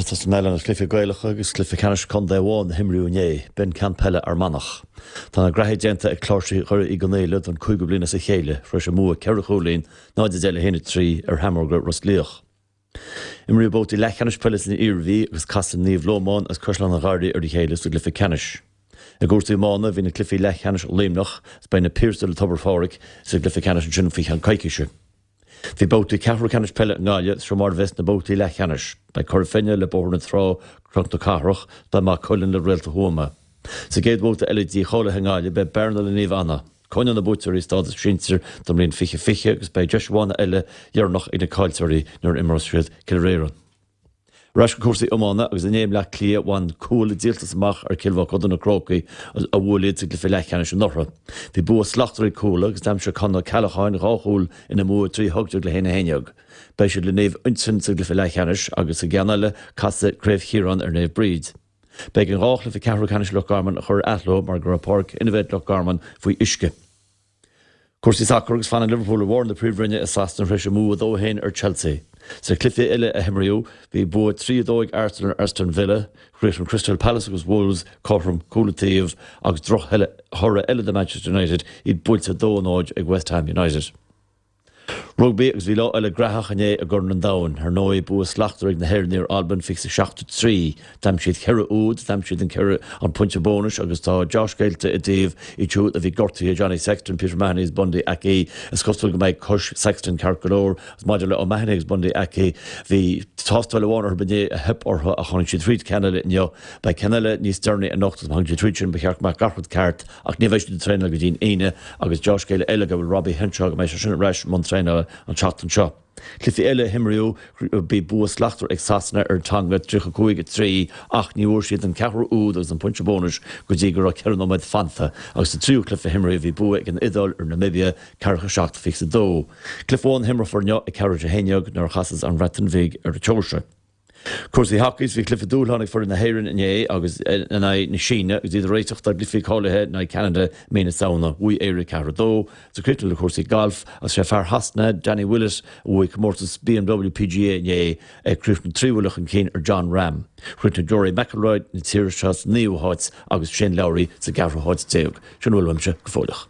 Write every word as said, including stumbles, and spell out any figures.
Tosóidh mé le cluichí Gaelacha agus cluiche ceannais contae amháin a himríodh inné, b'in ceann peile Fhear Manach. Tá na graithí déanta ag Cláirsigh Dhoire Uí Chonghaile don cúigiú bliain as a chéile, tar éis a mbua ceithre chúilín náid a deich le haon a trí ar Sheamróga Ros Liach. Imríodh babhtaí leathcheannais peile san Iarmhí agus casfaidh Naomh Lómán agus Caisleán an Gharraí ar a chéile sa gcluiche ceannais. I gcúrsaí iomána bhí na cluichí leathcheannais Luimneach is beidh na Piarsaigh le Tobar Phádraig sa gcluiche ceannais ansin faoi cheann coicíse. Bhí babhtaí ceathrú ceannais peile i nGaillimh seo mar a bheas na babhtaí leathcheannais. Beidh Cora Finne le Bóthar na Trá Cnoc na Cathrach, beidh Maigh Cuilinn le Réalta Thuama. Sa gcéad bhabhta eile dícháilithe i nGaillimh beidh Bearna le Naomh Anna. Coinneoidh na buaiteoirí stádas sinsir don mbliain fiche fiche agus beidh deis amháin eile dheireanach ag na caillteoirí nuair a imreos siad Cill Réireann. Ar ais go cúrsaí iomána agus inné i mBleá Cliath bhain Cuala díoltas amach ar Chill Mochuda na Crócaigh a bhuail iad sa gcluiche leathcheannais anuraidh. Bhí bua slachtmhar ag Cuala agus d'aimsigh Conor Ceallacháin dhá chúl ina mbua trí hocht déag le haon a haon déag. Beidh siad le Naomh Uinseann sa gcluiche leathcheannais agus sa gceann eile casfaidh Craobh Chiaráin ar Naomh Bríd. B'éigean dhá chluiche ceathrú ceannais Loch Garman a chur ar athló mar go raibh Páirc Innovate Loch Garman faoi uisce. Cúrsaí sacair agus fanann Liverpool ar bharr na Príomhroinne i Sasana tar éis a mbua dó haon ar Chelsea. Sa chluiche eile a himríodh bhí bua trí a dó ag Arsenal ar Aston Villa, chríochnaigh Crystal Palace agus Wolves cothrom cúl an taobh agus drochthoradh eile do Manchester United iad buailte dó náid ag West Ham United. Rugbaí agus bhí lá eile graitheach inné i gCorn an Domhain, ar ndóigh bua slachtmhar ag na hÉireannaigh ar Albain fiche seacht a trí. D'aimsigh siad ceithre úd, d'aimsigh siad an ceithre an pointe bónais agus tá deá-scéalta i dtaobh iad siúd a bhí gortaithe Johnny Sexton, Peter O'Mahony agus Bundee Aki. Is cosúil go mbeidh cois Sexton ceart go leor agus maidir le O'Mahony agus Bundee Aki bhí tástáil amháin orthu inné a theip orthu ach tháinig siad tríd ceann eile inniu. Beidh ceann eile níos deireanaí anocht agus má thagann siad tríd sin ba cheart go mbeadh gach rud ceart ach ní bheidh siad ag traenáil go dtí an Aoine agus deá-scéal eile go bhfuil Robbie Henshaw go mbeidh sé sin ar ais i mbun traenála an tseachtain seo. Cluichí eile a himríodh bhí bua slachtmhar ag Sasana ar Tonga tríocha cúig a trí ach ní bhfuair siad an ceathrú úd agus an pointe bónais go dtí go raibh ceithre nóiméad fanta agus sa tríú cluiche a himríodh bhí bua ag an Iodáil ar Namibia ceathracha seacht fiche a dó. Cluiche amháin a himreofar inniu ag ceathrú a haon déag nuair a chasas an Bhreatain Bhig ar an tSeoirsia. Cúrsaí hacaí bhí cluiche dúshláin ag foireann na hÉireann inné agus in aghaidh na Síne agus iad ag réiteach dá gcluichí cáilithe in aghaidh Canada mí na Samhna bhuaigh Éire ceathair a dó, sa críochnú le cúrsaí gailf agus sé fear Shasana Danny Willett a bhuaigh comórtas BMW PGA inné ag críochnú trí bhuille chun cinn ar Jon Rahm. Chríochnaigh Rory McIlroy na tíre seo sa naoú háit agus Shane Lowry sa gceathrú háit déag. Sin a bhfuil uaimse go fóilleach.